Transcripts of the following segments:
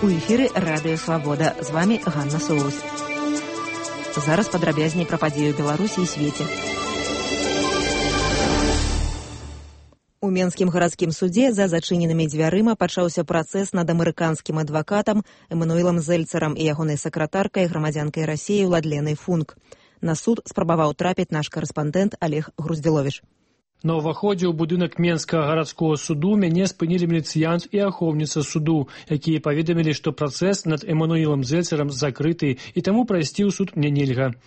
У эфіры Радыё Свабода. З вами Ганна Соус. Зараз падрабязней пра падзею Беларусі і свеце. У Менскім гарадскім судзе за зачыненымі дзвярыма пачаўся працэс над амерыканскім адвакатам Эмануілам Зельцарам і ягонай сакратаркай, грамадзянкай Расіі Уладленай Функ. На суд спрабаваў трапіць наш карэспандэнт Олег Груздзіловіч. На ўваходзе ў будынак Менскага гарадскога суду мяне спынілі міліцыянт і ахоўніца суду, якія паведамілі, што працэс над Эмануілам Зельцарам закрыты, і таму прайсці ў суд мне нельга.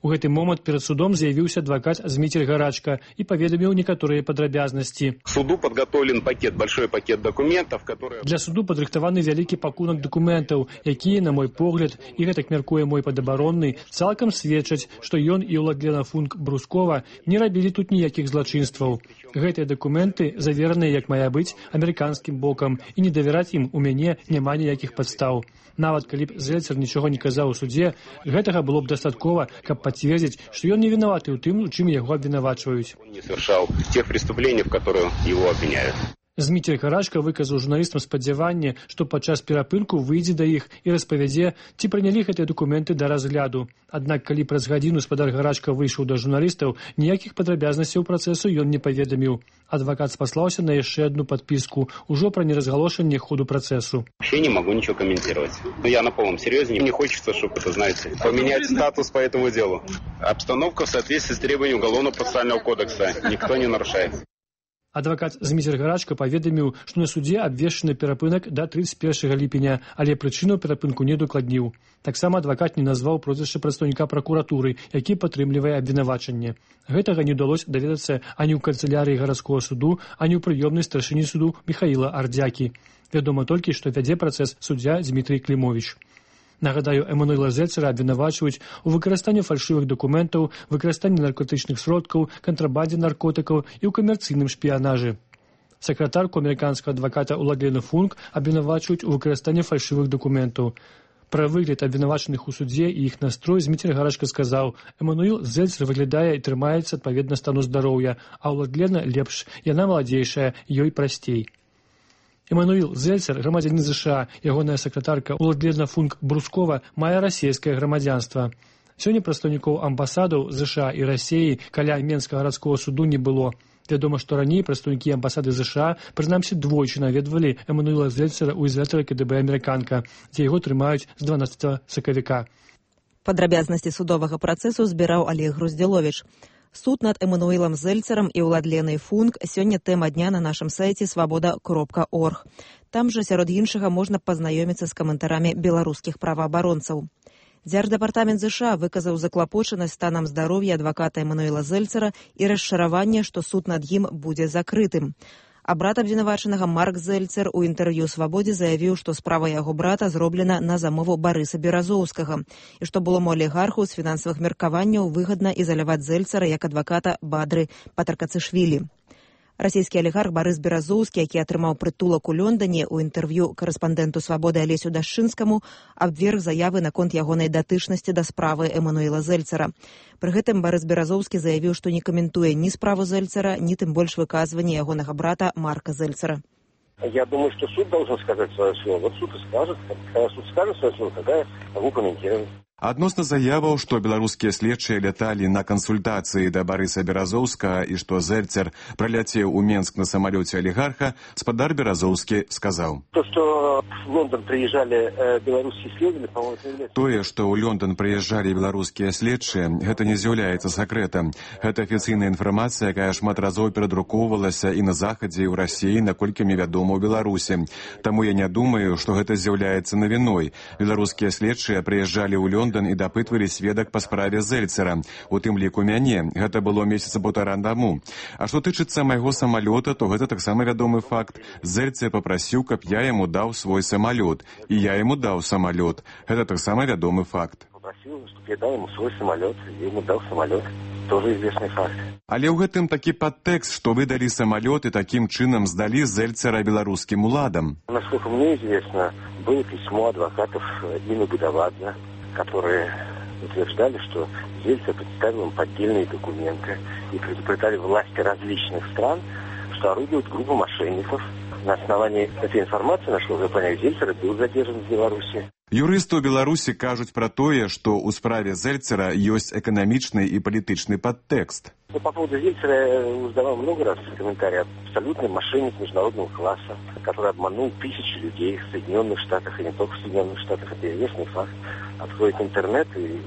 У гэты момант перад судом з'явіўся адвакат Зміцер Гарачка і паведаміў некаторыя падрабязнасці. Суду подготовлен большой пакет документов, которые... Для суду падрыхтаваны вялікі пакунак дакументаў, якія, на мой погляд, і гэтак мяркуе мой падабаронны, цалкам сведчаць, што ён і Уладлена Функ Брускова не рабілі тут ніякіх злачынстваў. Гэтыя дакументы завераныя, як мае быць, амерыканскім бокам, і не давяраць ім у мяне няма ніякіх падстаў. Нават калі б Зельцар нічога не казаў у судзе, гэтага было б дастаткова, каб пацвердзіць, што ён не вінаваты ў тым, у чым яго абвінавачваюць. Он не совершал тех преступлений, в которых его обвиняют. Зміцер Гарачка выказаў журналістам спадзяванне, што падчас перапынку выйдзе да іх і распавядзе, ці прынялі гэтыя дакументы да разгляду. Аднак, калі праз гадзіну спадар Гарачка выйшаў да журналістаў, ніякіх падрабязнасцяў працэсу ён не паведаміў. Адвакат спаслаўся на яшчэ одну подписку, ужо пра неразгалошанне ходу працэсу. Вообще не могу ничего комментировать. Но я на полном серьезе. Мне хочется, чтобы это, знаете, поменять статус по этому делу. Обстановка в соответствии с требованиями Уголовно-процессуального кодекса. Никто не нарушает. Адвакат Зміцер Гарачка паведаміў, што на судзе абвешчаны перапынак да 31 ліпеня, але прычыну перапынку не дакладніў. Таксама адвакат не назваў прозвішча прадстаўніка пракуратуры, які падтрымлівае абвінавачанне. Гэтага не ўдалося даведацца ані ў канцылярыі гарадскога суду, ані ў прыёмнай старшыні суду Міхаіла Ардзякі. Вядома толькі, што вядзе працэс суддзя Дмітрый Клімовіч. Нагадаю, Эмануіла Зельцара абвінавачваюць у выкарыстанні фальшывых дакументаў, выкарыстанні наркотычных сродкаў, кантрабандзе наркотыкаў і ў камерцыйным шпіянажы. Сакратарку амерыканскага адваката Уладлену Функ абвінавачваюць у выкарыстанні фальшывых дакументаў. Пра выгляд абвінавачаных у судзе і іх настрой Зміцер Гарачка сказаў: «Эмануіл Зельцар выглядае і трымаецца адпаведна стану здароўя, а Уладлена лепш, яна маладзейшая, ёй прасцей». Эмануіл Зельцар, грамадзянін США, ягоная сакратарка Уладлена Функ Брускова мае расійскае грамадзянства. Сёння прадстаўнікоў амбасадаў США і Расіі каля Менскага гарадскога суду не было. Вядома, што раней прадстаўнікі амбасады США, прынамсі, двойчы наведвалі Эмануіла Зельцара ў ізалятары КДБ «Амерыканка», дзе яго трымаюць з 12 сакавіка. Падрабязнасці судовага працэсу збіраў Олег Груздзіловіч. Суд над Эмануілам Зельцарам і Уладленай Функ сёння тэма дня на нашым сайце свабода.орг. Там жа, сярод іншага, можна пазнаёміцца з каментарамі беларускіх праваабаронцаў. Дзярждэпартамент США выказаў заклапочанасць станам здароўя адваката Эмануіла Зельцара і расчараванне, што суд над ім будзе закрытым. А брат абвінавачанага Марк Зельцар у інтэрв'ю «Свабодзе» заявіў, што справа яго брата зроблена на замову Барыса Беразоўскага і што былому алігарху з фінансавых меркаванняў выгадна ізаляваць Зельцара як адваката Бадры Патаркацышвілі. Расійскі алігарх Барыс Беразоўскі, які атрымаў прытулак у Лондане, у інтэрв'ю карэспандэнту «Свабоды» Алесю Дашчынскаму абверг заявы наконт ягонай датычнасці да справы Эмануіла Зельцара. Пры гэтым Барыс Беразоўскі заявіў, што не каментуе ні справу Зельцара, ні тым больш выказванне ягонага брата Марка Зельцара. Я думаю, что суд должен сказать свое слово. Вот суд и скажет. Когда суд скажет свое слово, тогда я могу комментировать. Адносна заяваў, што беларускія следчыя ляталі на кансультацыі да Барыса Беразоўскага і што Зельцар праляцеў у Менск на самалёце алігарха, спадар Беразоўскі сказаў. То, что в Лондон приезжали белорусские следователи, по-моему, Тое, што ў Лондон прыязджалі беларускія следчыя, гэта не з'яўляецца сакрэтам. Гэта афіцыйная інфармацыя, якая шмат разоў перадрукоўвалася і на Захадзе, і ў Расіі, наколькі мне вядома, ў Беларусі. Таму я не думаю, што гэта з'яўляецца навіной. Беларускія следчыя прыязджалі ў Лондон і дапытвалі сведак па справе Зельцара, у тым ліку мяне. Гэта было месяца паўтара таму. А што тычыцца майго самалёта, то гэта таксама вядомы факт. Зельцар папрасіў, каб я яму даў свой самалёт, і я яму даў самалёт. Гэта таксама вядомы факт. Попросил, чтобы я дал ему свой самолет, я ему дал самолет. Тоже известный факт. Але ў гэтым такі падтэкст, што вы далі самалёт і такім чынам здалі Зельцара беларускім уладам. Насколько мне известно, было письмо адвокатов Дины Будовадзе, которые утверждали, что Зельцар представил им поддельные документы и предупреждали власти различных стран, что орудуют группа мошенников, На основании этой информации, насколько я понимаю, Зельцер был задержан в Беларуси. Юрысты ў Беларусі кажуць пра тое, што ў справе Зельцера ёсць эканамічны і палітычны падтэкст. По поводу Зельцера я задавал много раз комментарии. Абсолютный мошенник международного класса, который обманул тысячи людей в Соединенных Штатах, и не только в Соединенных Штатах. Это известный факт. Откройте интернет и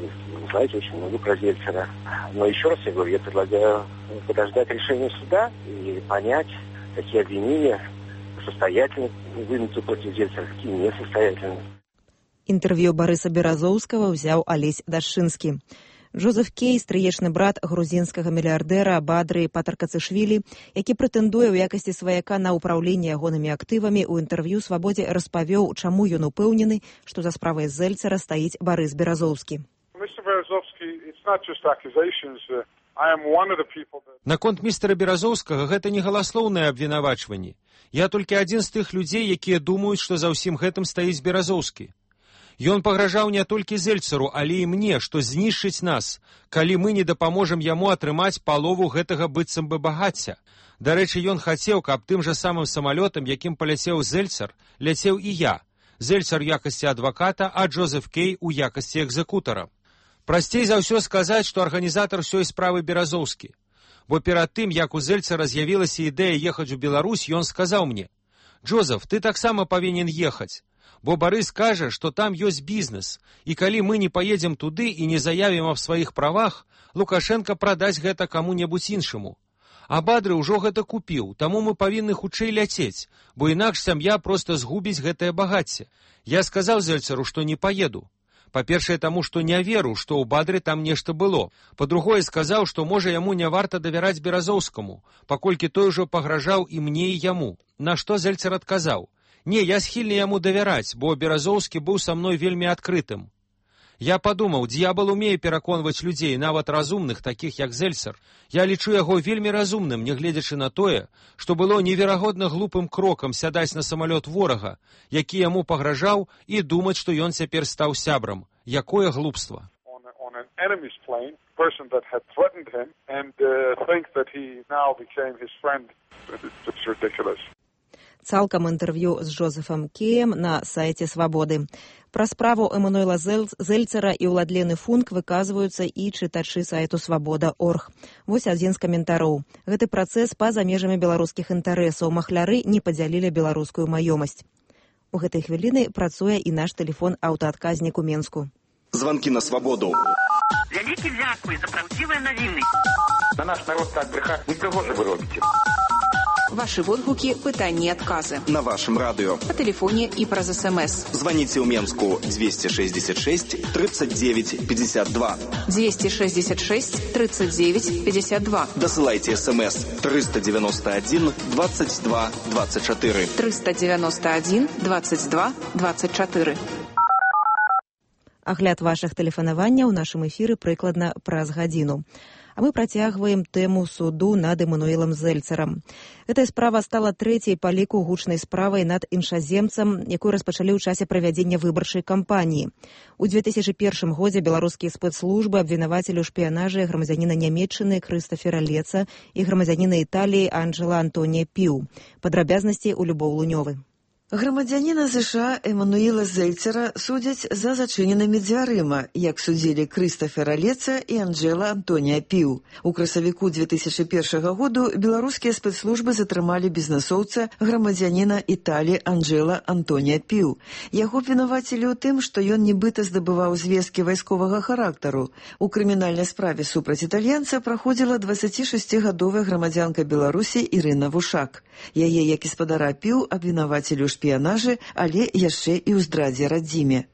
узнаете очень много про Зельцера. Но еще раз я говорю, я предлагаю подождать решения суда и понять, какие обвинения состоятельны вынуты против Зельцера, какие несостоятельны. Інтэрв'ю Барыса Беразоўскага ўзяў Алесь Дашчынскі. Джозеф Кей, стрыечны брат грузінскага мільярдэра Бадры Патаркацышвілі, які прэтэндуе ў якасці сваяка на ўпраўленне ягонымі актывамі, у інтэрв'ю «Свабодзе» распавёў, чаму ён упэўнены, што за справай Зельцера стаіць Барыс Беразоўскі. Наконт містера Беразоўскага гэта не галаслоўнае абвінавачванне. Я толькі адзін з тых людзей, якія думаюць, што за ўсім гэтым стаіць Беразоўскі. Ён пагражаў не толькі Зельцеру, але і мне, што знішчыць нас, калі мы не дапаможам яму атрымаць палову гэтага быццам бы багацця. Дарэчы, ён хацеў, каб тым жа самым самалётам, якім паляцеў Зельцер, ляцеў і я. Зельцер у якасці адваката, а Джозеф Кей у якасці экзекутара. Прасцей за ўсё сказаць, што арганізатар усёй справы Беразоўскі. Бо перад тым, як у Зельцера з'явілася ідэя ехаць у Беларусь, ён сказаў мне: «Джозеф, ты таксама павінен ехаць. Бо Барыс кажа, што там ёсць бізнес, і калі мы не паедзем туды і не заявім аб сваіх правах, Лукашенко прадасць гэта каму-небудзь іншаму. А Бадры ўжо гэта купіў, таму мы павінны хутчэй ляцець, бо інакш сям'я проста згубіць гэтае багацце. Я сказаў Зельцеру, што не паеду. Па-першае, таму, што не веру, што ў Бадры там нешта было. Па-другое, сказаў, што, можа, яму не варта давяраць Беразоўскаму, паколькі той ужо пагражаў і мне, і яму. На што Зельцер адказаў: «Не, я схільны яму давяраць, бо Беразоўскі быў са мной вельмі адкрытым». Я падумаў, д'ябал умее пераконваць людзей, нават разумных, такіх як Зельцер. Я лічу яго вельмі разумным, нягледзячы на тое, што было неверагодна глупым крокам сядаць на самалёт ворага, які яму пагражаў, і думаць, што ён цяпер стаў сябрам. Якое глупства! Цалкам інтэрв'ю з Джозефам Кеем на сайце «Свабоды». Пра справу Эммануэла Зельцера і Уладлены Функ выказваюцца і чытачы сайту «Свабода.орг». Вось адзін з каментароў. Гэты працэс па-за межамі беларускіх інтарэсаў. Махляры не падзялілі беларускую маёмасць. У гэтай хвіліны працуе і наш тэлефон-аўтаадказнік у Менску. Званкі на свабоду. Вялікі дзякуй за праўдзівыя навіны. На наш народ так брехаць не прыгожа вы робіце. Ваши водгукі, пытанні і адказы. На вашым радыё. Па тэлефоне і праз СМС. Званіце ў Менску 266 39 52. 266 39 52. Дасылайце СМС 391 22 24. 391 22 24. Агляд вашых тэлефанаванняў у нашым эфіры прыкладна праз гадзіну. А мы працягваем тэму суду над Эммануэлам Зельцерам. Гэтая справа стала трэцяй па ліку гучнай справай над іншаземцам, якую распачалі ў часе правядзення выбарчай кампаніі. У 2001 годзе беларускія спецслужбы абвінавацілі ў шпіянажы грамадзяніна Нямецчыны Крыстафера Леца і грамадзяніна Італіі Анджэла Антонія Піў. Падрабязнасці ў Любоў Лунёвы. Грамадзяніна США Эммануэла Зельцера судзяць за зачыненымі дзвярыма, як судзілі Крыстафера Леца і Анджэла Антонія Піў. У красавіку 2001 году беларускія спецслужбы затрымалі бізнэсоўца грамадзяніна Італіі Анджэла Антонія Піў. Яго абвінавацілі ў тым, што ён нібыта здабываў звесткі вайсковага характару. У крымінальнай справе супраць італьянца праходзіла 26-гадовая грамадзянка Беларусі Ірына Вушак. Яе, як і спадара Піў, абвінавацілі ў шпіянажы, але яшчэ і ў здрадзе радзіме.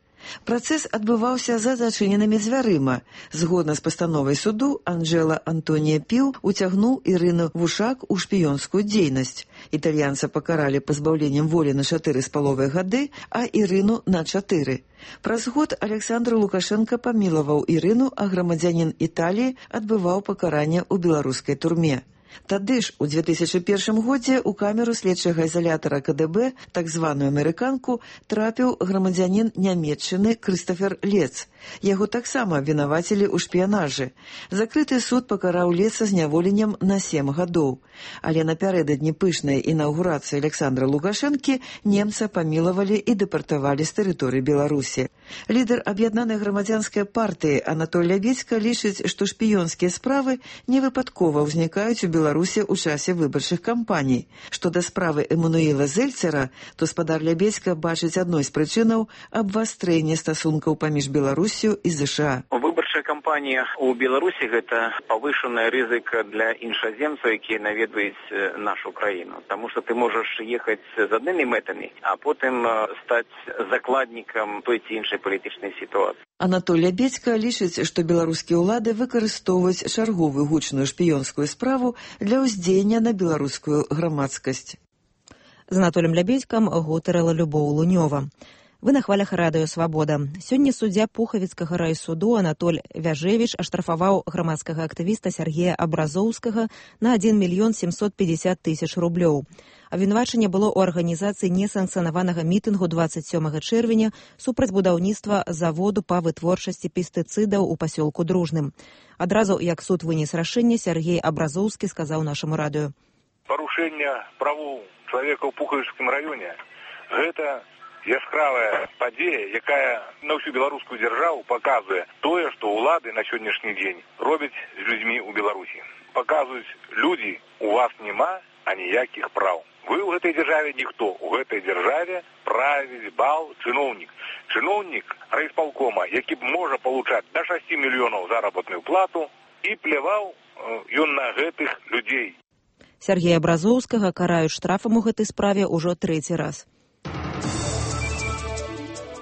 Працэс адбываўся за зачыненымі дзвярыма. Згодна з пастановай суду, Анджэла Антонія Піў уцягнуў Ірыну Вушак у шпіёнскую дзейнасць. Італьянца пакаралі пазбаўленнем волі на 4,5 гады, а Ірыну на 4. Праз год Александр Лукашенко памілаваў Ірыну, а грамадзянін Італіі адбываў пакаранне ў беларускай турме. Тады ж у 2001 годзе ў камеру следчага ізалятара КДБ, так званую амерыканку, трапіў грамадзянін Нямецчыны Крыстафер Лец. Яго таксама абвінавацілі ў шпіянажы. Закрыты суд пакараў Леца зняволеннем на 7 гадоў. Але напярэдадні пышнай інаўгурацыі Александра Лукашэнкі немца памілавалі і дэпартавалі з тэрыторыі Беларусі. Лідар аб'яднанай грамадзянскай партыі Анатоль Лябедзька лічыць, што шпіёнскія справы невыпадкова ўзнікаюць у Беларусі ў часе выбарчых кампаній. Што да справы Эммануіла Зельцера, то спадар Лябедзька бачыць адной з прычынаў абвастрэння стасункаў паміж Беларусю і ЗША. Выбарчая кампанія ў Беларусі гэта павышаная рызыка для іншаземцаў, якія наведваюць нашу краіну. Таму што ты можаш ехаць з аднымі мэтамі, а потым стаць закладнікам той ці іншай палітычнай сітуацыі. Анатоль Лябедзька лічыць, што беларускія ўлады выкарыстоўваюць чарговую гучную шпіёнскую справу для ўздзеяння на беларускую грамадскасць. З Анатолем Лябедзькам гутарыла Любоў Лунёва. Вы на хвалях радыё «Свабода». Сёння суддзя Пухавіцкага райсуду Анатоль Вяжевіч аштрафаваў грамадскага актывіста Сергея Абразоўскага на 1 мільён 750 тысяч рублёў. Абвінавачанне было ў арганізацыі несанкцыянаванага мітынгу 27 чэрвеня супраць будаўніцтва заводу па вытворчасці пестыцыдаў у пасёлку Дружным. Адразу, як суд вынес рашэнне, Сергей Абразоўскі сказаў нашаму радыё. Парушэнне правоў чалавека ў Пухавіцкім раёне – гэта яскравая падзея, якая на ўсю беларускую дзяржаву паказвае тое, што ўлады на сённяшні дзень робяць з людзьмі ў Беларусі. Паказваюць, людзі, у вас няма аніякіх праў. Вы ў гэтай дзяржаве ніхто. У гэтай дзяржаве правіць бал чыноўнік. Чыноўнік райисполкома, які можа палучаць да 6 мільёнаў заработную плату, і пляваў ён на гэтых людзей. Сергея Абразоўскага караюць штрафам у гэтай справе ўжо 3-й раз.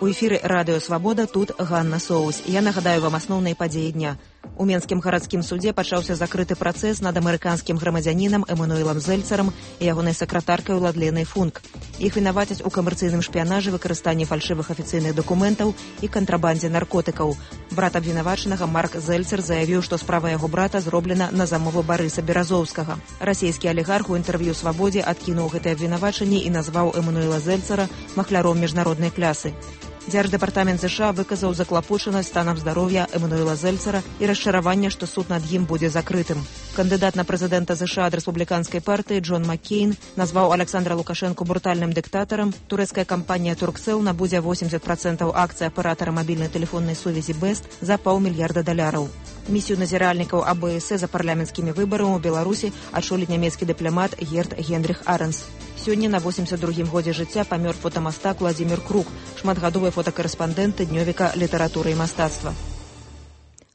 У эфіры радыё «Свабода», тут Ганна Соус. Я нагадаю вам асноўныя падзеі дня. У Менскім гарадскім судзе пачаўся закрыты працэс над амерыканскім грамадзянінам Эммануілам Зельцарам і ягонай сакратаркай Уладленай Функ. Іх вінавацяць у камерцыйным шпіянажы, выкарыстанні фальшывых афіцыйных дакументаў і кантрабандзе наркотыкаў. Брат абвінавачанага Марк Зельцер заявіў, што справа яго брата зроблена на замову Барыса Беразоўскага. Расійскі алігарх у інтэрв'ю «Свабодзе» адкінуў гэтае абвінавачанне і назваў Эммануіла Зельцера махляром міжнароднай клясы. Дзярждэпартамент ЗША выказаў заклапочанасць станам здароўя Эммануіла Зельцера і расчараванне, што суд над ім будзе закрытым. Кандыдат на прэзідэнта ЗША ад рэспубліканскай партыі Джон Маккейн назваў Александра Лукашэнку брутальным дыктатарам. Турэцкая кампанія «Туркцэл» набудзе 80% акцый аператара мабільнай тэлефоннай сувязі «Бэст» за $500 мільярда. Місію назіральнікаў АБС за парламенцкімі выбарамі ў Беларусі адчоліць нямецкі дыпламат Герт Генріх Аренс. Сёння на 82-м годзе жыцця памёр фотамастак Владзімір Крук, шматгадовы фотакарэспандэнт днёвіка літаратуры і мастацтва.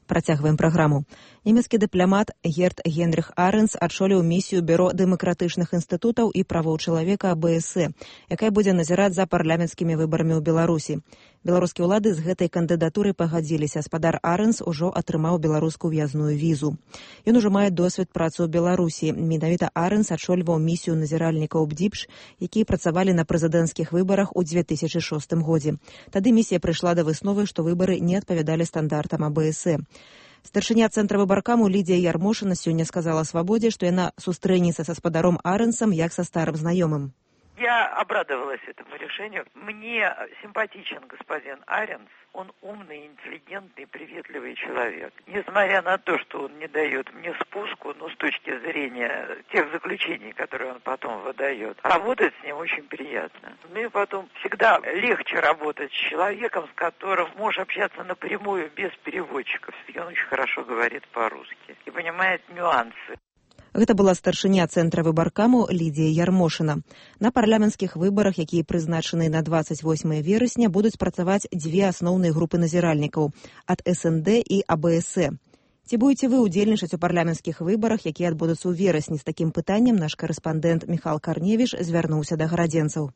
Працягваем праграму. Нямецкі дыпламат Герт Генріх Аренс адчоліў місію Бюро дэмакратычных інстытутаў і правоў чалавека АБС, якая будзе назіраць за парламенцкімі выбарамі ў Беларусі. Беларускія ўлады з гэтай кандыдатурай пагадзіліся. Спадар Аренс ужо атрымаў беларускую в'язную візу. Ён ужо мае досвед працы ў Беларусі. Менавіта Аренс адчольваў місію назіральнікаў БДІПШ, якія працавалі на прэзідэнцкіх выбарах у 2006 годзе. Тады місія прыйшла да высновы, што выбары не адпавядалі стандартам АБС. Старшыня цэнтра выбаркаму Лідія Ярмошына сёння сказала «Свабодзе», што яна сустрэнецца са спадаром Аренсом як са старым знаёмым. Я обрадовалась этому решению. Мне симпатичен господин Аренс. Он умный, интеллигентный, приветливый человек. Несмотря на то, что он не дает мне спуску, но с точки зрения тех заключений, которые он потом выдает, работать с ним очень приятно. Мне потом всегда легче работать с человеком, с которым можешь общаться напрямую, без переводчиков. И он очень хорошо говорит по-русски и понимает нюансы. Гэта была старшыня цэнтра выбаркаму Лідія Ярмошына. На парламенцкіх выбарах, якія прызначаны на 28 верасня, будуць працаваць дзве асноўныя групы назіральнікаў ад СНД і АБС. Ці будзеце вы ўдзельнічаць у парламенцкіх выбарах, якія адбудуцца ў верасні? З такім пытаннем наш карэспандэнт Міхал Карневіш звярнуўся да гарадзенцаў.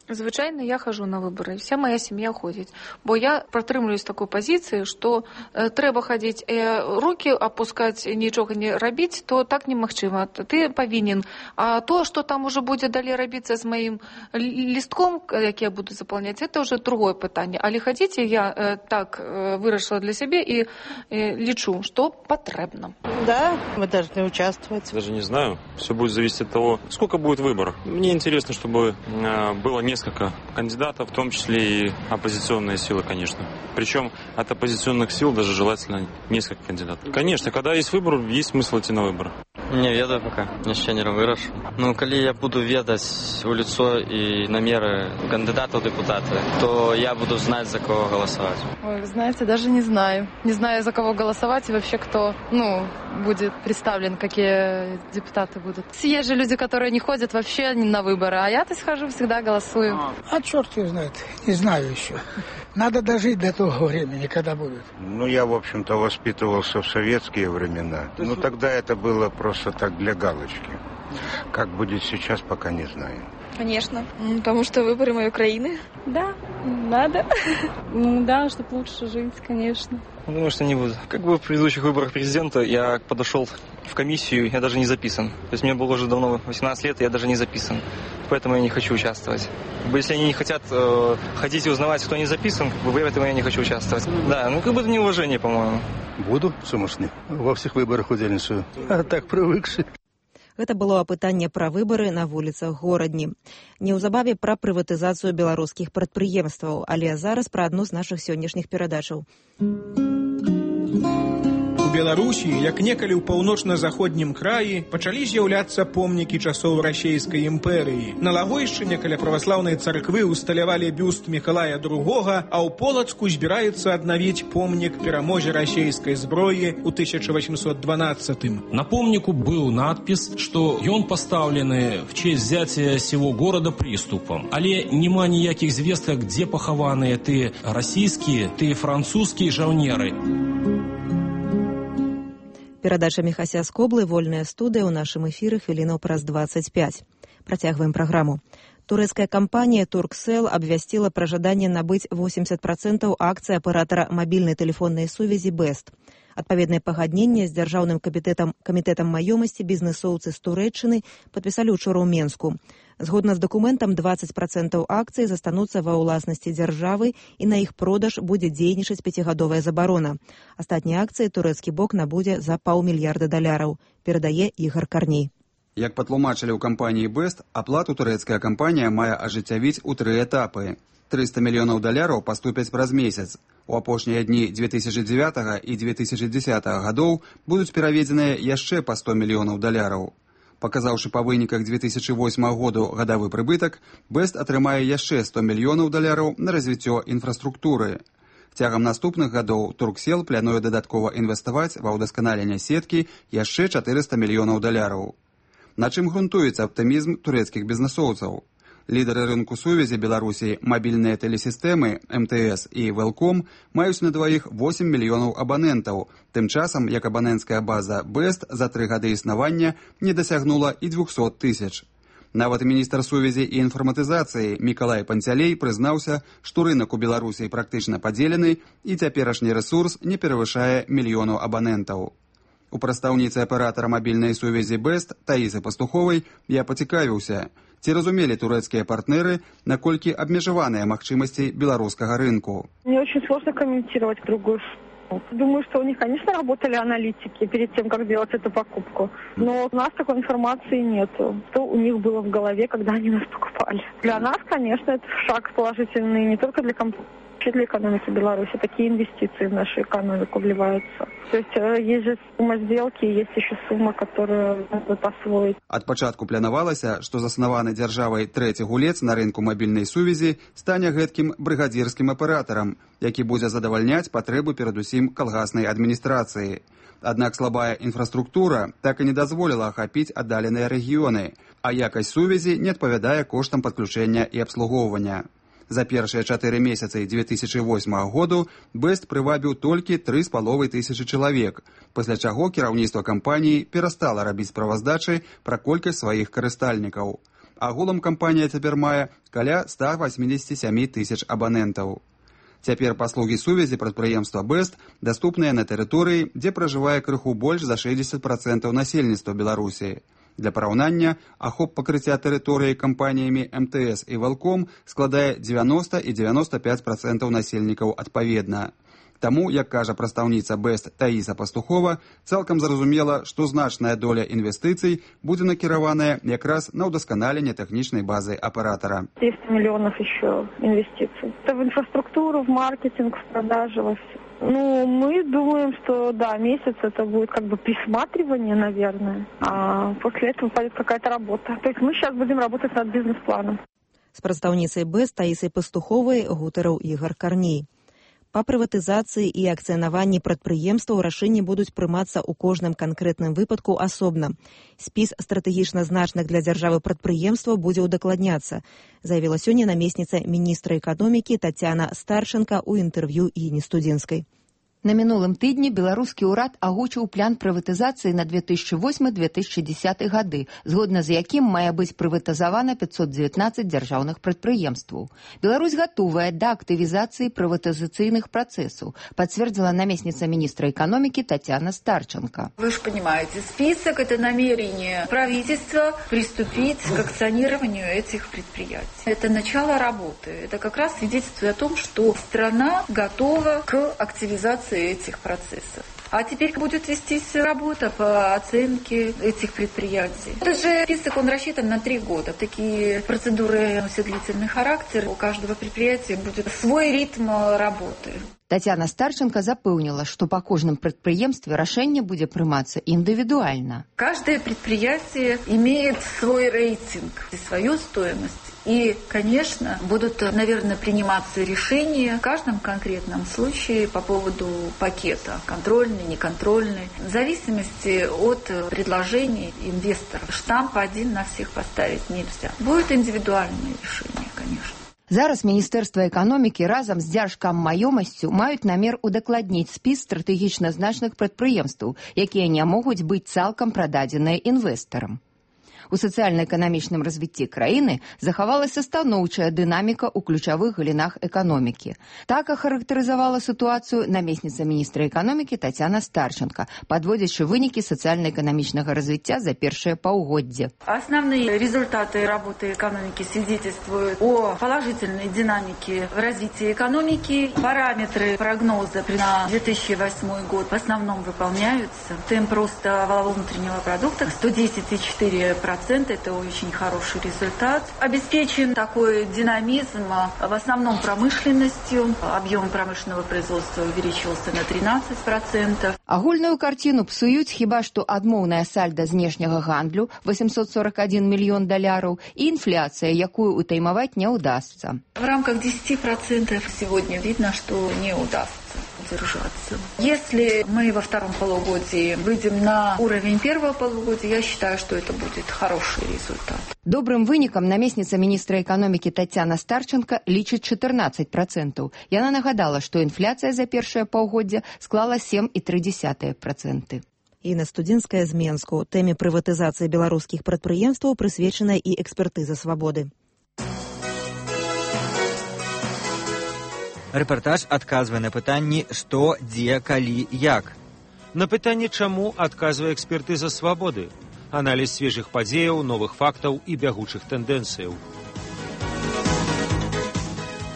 Звычайно, я хожу на выборы, вся моя семья ходит. Бо я протрымлюсь такой позиции, что трэба ходить, руки опускать, ничего не робить, то так немагчыма. Ты повинен. А то, что там уже будет далее робиться с моим листком, как я буду заполнять, это уже другое питание. Але ходите, я так вырашила для себя и лечу, что потребно. Да, мы должны участвовать. Даже не знаю. Все будет зависеть от того, сколько будет выборов. Мне интересно, чтобы было несколько кандидатов, в том числе и оппозиционные силы, конечно. Причем от оппозиционных сил даже желательно несколько кандидатов. Конечно, когда есть выбор, есть смысл идти на выборы. Не ведаю пока, яшчэ не вырашыў. Ну, калі я буду ведаць у лицо и намеры кандидата в депутаты, то я буду знать, за кого голосовать. Ой, вы знаете, даже не знаю. Не знаю, за кого голосовать и вообще кто, будет представлен, какие депутаты будут. Есть же люди, которые не ходят вообще на выборы, а я-то схожу, всегда голосую. А черт его знает, не знаю еще. Надо дожить до того времени, когда будут. Я, в общем-то, воспитывался в советские времена. Тогда это было просто так для галочки. Как будет сейчас, пока не знаю. Конечно, потому что выборы моей Украины. Да, надо. Да, чтобы лучше жить, конечно. Думаю, что не буду. Как бы в предыдущих выборах президента я подошел в комиссию, я даже не записан. То есть мне было уже давно 18 лет, и я даже не записан. Поэтому я не хочу участвовать. Если они не хотят ходить и узнавать, кто не записан, в этом я не хочу участвовать. Да, это неуважение, по-моему. Буду, сумасшедший. Во всех выборах удзельнічаю. А так прывыкшы. Гэта было апытанне пра выбары на вуліцах горадні. Неўзабаве пра прыватызацыю беларускіх прадпрыемстваў, але зараз пра адну з нашых сённяшніх перадачаў. У Беларусі, як некалі ў паўночна-заходнім краі, пачалі з'яўляцца помнікі часоў расейскай імперыі. На Лагойшчыне каля праваслаўнай царквы усталявалі бюст Мікалая II, а ў Полацку збіраецца аднавіць помнік перамозе расейскай зброі ў 1812. На помнику был надпис, что ён поставлены в честь взятия сего города приступом. Але нема ніякіх звестак, где пахаваныя ты расійскія, ты французскія жаўнеры. Перадача Міхася Скоблы, вольная студыя ў нашым эфіры хвілінаў праз 25. Працягваем праграму. Турэцкая кампанія Турксел абвясціла пра жаданне набыць 80% акцый аператара мабільнай тэлефоннай сувязі Бест. Адпаведнае пагадненне з дзяржаўным камітэтам маёмасці бізнэсоўцы з Турэччыны падпісалі ўчора ў Менску. Згодна з дакументам, 20% акцый застануцца ва ўласнасці дзяржавы і на іх продаж будзе дзейнічаць 5-гадовая забарона. Астатнія акцыі турэцкі бок набудзе за $500 мільярда, перадае Ігар Карней. Як патлумачылі ў кампаніі Бест, аплату турэцкая кампанія мае ажыццявіць у 3 этапы. $300 мільёнаў паступяць праз месяц. У апошнія дні 2009 і 2010 гадоў будуць пераведзеныя яшчэ па $100 мільёнаў. Паказаўшы па выніках 2008 году гадавы прыбытак, Бест атрымае яшчэ $100 мільёнаў на развіццё інфраструктуры. Цягам наступных гадоў Турксел плануе дадаткова інвеставаць ва ўдасканаленне сеткі яшчэ $400 мільёнаў. На чым грунтуецца аптымізм турэцкіх бізнэсоўцаў? Лідары рынку сувязі Беларусі, мабільныя тэлесістэмы, МТС і Велком маюць на дваіх 8 мільёнаў абанентаў, тым часам як абаненцкая база Бест за 3 гады існавання не дасягнула і 200 тысяч. Нават міністр сувязі і інфарматызацыі Мікалай Панцялей прызнаўся, што рынок у Беларусі практычна падзелены і цяперашні рэсурс не перавышае 1 мільёну абанентаў. У прадстаўніцы аператара мабільнай сувязі Бест Таісы Пастуховай я пацікавіўся, ці разумелі турэцкія партнеры, наколькі абмежаваныя магчымасці беларускага рынку. Мне очень сложно комментировать другую. Думаю, что у них, конечно, работали аналитики перед тем, как делать эту покупку. Но у нас такой информации нет. Что у них было в голове, когда они нас покупали. Для нас, конечно, это шаг положительный не только для компании, но и для экономики Беларуси. Такие инвестиции в нашу экономику вливаются. То есть же сумма сделки, есть еще сумма, которую надо посвоить. Ад пачатку планавалася, што заснаваны дзяржавай трэці гулец на рынку мабільнай сувязі стане гэткім брыгадзірскім аператарам, які будзе задавальняць патрэбы перадусім калгаснай адміністрацыі. Аднак слабая інфраструктура так і не дазволіла ахапіць аддаленыя рэгіёны, а якасць сувязі не адпавядае коштам падключэння і абслугоўвання. За першыя 4 месяцы 2008 году Бест прывабіў толькі 3500 чалавек, пасля чаго кіраўніцтва кампаніі перастала рабіць справаздачы пра колькасць сваіх карыстальнікаў. агулам кампанія цяпер мае каля 187 тысяч абанентаў. Цяпер паслугі сувязі прадпрыемства «Бэст» даступныя на тэрыторыі, дзе пражывае крыху больш за 60% насельніцтва Беларусі. Для параўнання, ахоп пакрыцця тэрыторыі кампаніямі МТС і Валком складае 90 і 95% насельнікаў адпаведна. Таму, як кажа прадстаўніца «Бэст» Таіса Пастухова, цалкам зразумела, што значная доля інвестыцый будзе накіраваная якраз на ўдасканаленне тэхнічнай базы аператора. 200 миллионов еще инвестиций. Это в инфраструктуру, в маркетинг, в продажи, во все. Мы думаем, что да, месяц это будет как бы присматривание, наверное, а после этого пойдет какая-то работа. То есть мы сейчас будем работать над бизнес-планом. З прадстаўніцай «Бэст» Таісай Пастуховай гутарыў Ігор Карней. Па прыватызацыі і акцыянаванні прадпрыемстваў рашэнні будуць прымацца ў кожным канкрэтным выпадку асобна. Спіс стратэгічна значных для дзяржавы прадпрыемстваў будзе ўдакладняцца, заявіла сёння намесніца міністра эканомікі Тацяна Старченка ў інтэрв'ю Інні Студзінскай. На мінулым тыдні беларускі ўрад агучыў план прыватызацыі на 2008-2010 гады, згодна з якім мае быць прыватызавана 519 дзяржаўных прадпрыемстваў. Беларусь гатовая да актывізацыі прыватызацыйных працэсаў, пацвердзіла намесніца міністра эканомікі Татьяна Старченко. Вы же понимаете, список – это намерение правительства приступить к акционированию этих предприятий. Это начало работы. Это как раз свидетельствует о том, что страна готова к активизации этих процессов. А теперь будет вестись работа по оценке этих предприятий. Этот же список, он рассчитан на 3 года. Такие процедуры носят длительный характер. У каждого предприятия будет свой ритм работы. Татьяна Старченко запэўніла, што па кожным прадпрыемстве рашэнне будзе прымацца індывідуальна. Каждое предприятие имеет свой рейтинг и свою стоимость. И, конечно, будут, наверное, приниматься решения в каждом конкретном случае по поводу пакета, контрольный, неконтрольный, в зависимости от предложений инвесторов. Штамп один на всех поставить нельзя. Будет индивидуальное решение, конечно. Зараз Міністэрства эканомікі разам з дзяржкаммаёмасцю маюць намер удакладніць спіс стратэгічна значных прадпрыемстваў, якія не могуць быць цалкам прададзеныя інвестарам. У сацыяльна-эканамічным развіцці краіны захавалася станоўчая дынаміка ў ключавых галінах эканомікі. Так ахарактарызавала сітуацыю намесніца міністра эканомікі Татьяна Старченко, подводзячы вынікі сацыяльна-эканамічнага развіцця за першае паўгоддзе. Основные результаты работы экономики свидетельствуют о положительной динамике в развитии экономики. Параметры прогноза на 2008 год в основном выполняются. Темп роста валового внутреннего продукта 110,4%. Это очень хороший результат. Обеспечен такой динамизм в основном промышленностью. Объем промышленного производства увеличился на 13%. Агульную картину псуюць хіба што адмоўная сальда знешняга гандлю $841 мільён і інфляцыя, якую утаймаваць не ўдасца. В рамках 10% сегодня видно, что не удастся держаться. Если мы во втором полугодии выйдем на уровень первого полугодия, я считаю, что это будет хороший результат. Добрым вынікам намесніца міністра эканомікі Татьяна Старченко лічыць 14%. Яна нагадала, што інфляцыя за першае паўгоддзе склала 7,3%. Інна Студзінская з Менску. Тэме прыватызацыі беларускіх прадпрыемстваў прысвечана і экспертыза свабоды. Рэпартаж адказвае на пытанні «Што, дзе, калі, як?». На пытанне «Чаму?» адказвае экспертыза свабоды. Аналіз свежых падзеяў, новых фактаў і бягучых тэндэнцыяў.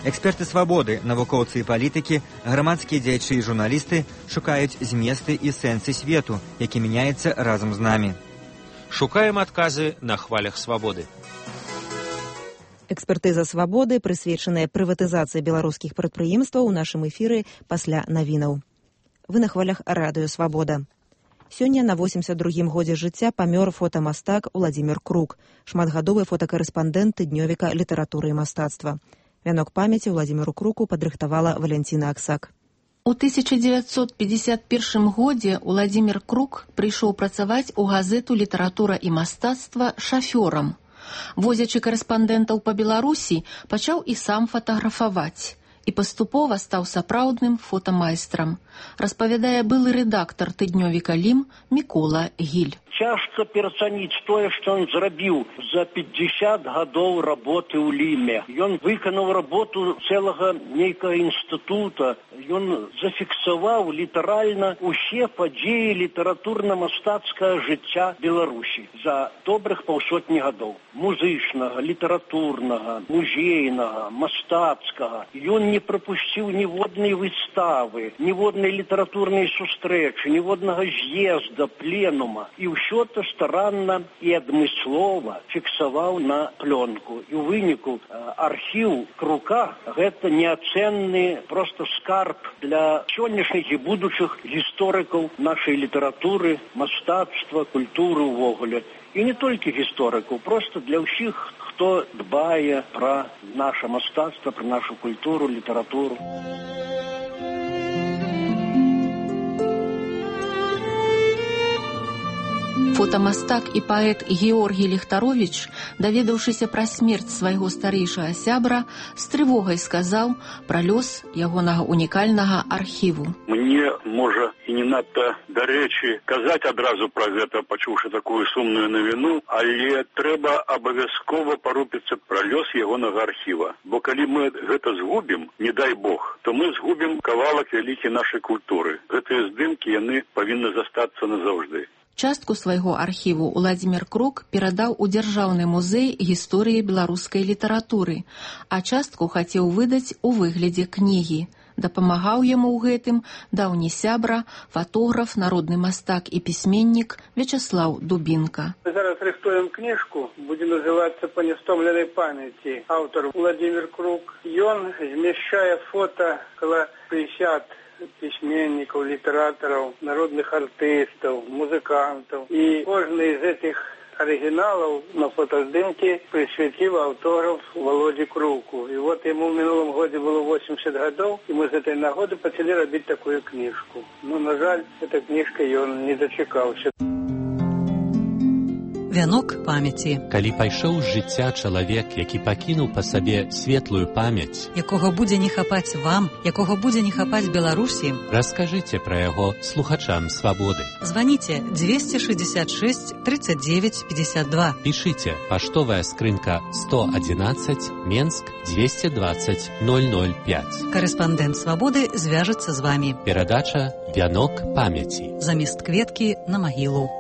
Эксперты свабоды, навукоўцы і палітыкі, грамадскія дзеячы і журналісты шукаюць зместы і сэнсы свету, які мяняецца разам з намі. Шукаем адказы на хвалях свабоды. Экспертыза свабоды, прысвечаная прыватызацыі беларускіх прадпрыемстваў у нашым эфіры пасля навінаў. Вы на хвалях радыё «Свабода». Сёння на 82-м годзе жыцця памёр фотамастак Уладзімір Крук, шматгадовы фотакарэспандэнт тыднёвіка літаратуры і мастацтва. Вянок памяці Уладзіміру Круку падрыхтавала Валянціна Аксак. У 1951 годзе Уладзімір Крук прыйшоў працаваць у газету «Літаратура і мастацтва» шафёрам. Возячы карэспандэнтаў па Беларусі, пачаў і сам фатаграфаваць. І і паступова стаў сапраўдным фотамайстрам, распавядае былы рэдактар тыднёвіка «Лім» Мікола Гіль. Цяжка перацаніць тое, што ён зрабіў за 50 гадоў работы ў Ліме. Ён выканаў работу цэлага нейкага інстытута. Ён зафіксаваў літаральна усе падзеі літаратурна-мастацкага жыцця Беларусі за добрых паўсотні гадоў. Музычнага, літаратурнага, музейнага, мастацкага. Ён не прапусціў ніводнай выставы, ніводнай літаратурнай сустрэчы, ніводнага з'езда, пленума. І ўсё то старанна і адмыслова фіксаваў на плёнку. І ў выніку архіў Крука гэта неацэнны проста скарб для сённяшніх і будучых гісторыкаў нашай літаратуры, мастацтва, культуры ўвогуле. І не толькі гісторыкаў, проста для ўсіх, хто дбае пра наша мастацтва, пра нашу культуру, літаратуру. Фотамастак і паэт Георгій Ліхтаровіч, даведаўшыся пра смерць свайго старэйшага сябра, з трывогай сказаў пра лёс ягонага унікальнага архіву. Мне, можа, і не надта дарэчы казаць адразу пра гэта, пачуўшы такую сумную навіну, але трэба абавязкова парупіцца пра лёс ягонага архіва. Бо калі мы гэта згубім, не дай Бог, то мы згубім кавалак вялікі нашай культуры. Гэтыя здымкі, яны павінны застацца назаўжды. Частку свайго архіву Уладзімір Крук перадаў у Дзяржаўны музей гісторыі беларускай літаратуры, а частку хацеў выдаць у выглядзе кнігі. Дапамагаў яму ў гэтым даўні сябра, фатограф, народны мастак і пісьменнік Вячаслаў Дубінка. Зараз рыхтуем кніжку, будзе называцца «Па нестомленай памяці». Аўтар Уладзімір Крук. Ён змяшчае фота каля 50 пісьменнікаў, літаратараў, народных артыстаў, музыкантаў. І кожны з гэтых арыгіналаў на фотаздымкі прысвяціў аўтограф Володі Круку. І вот яму ў мінулым годзе было 80 гадоў, і мы з гэтай нагоды пачалі рабіць такую кніжку. Ну, на жаль, эта кніжка ён не дачакаўся. Вянок памяці. Калі пайшоў з жыцця чалавек, які пакінуў па сабе светлую памяць, якога будзе не хапаць вам, якога будзе не хапаць Беларусі, раскажыце пра яго слухачам свабоды. Званіце 266 39 52. Пішыце паштовая скрынка 111 Менск 220 005. Карэспандэнт свабоды звяжацца з вамі. Перадача «Вянок памяці». Замест кветкі на магілу.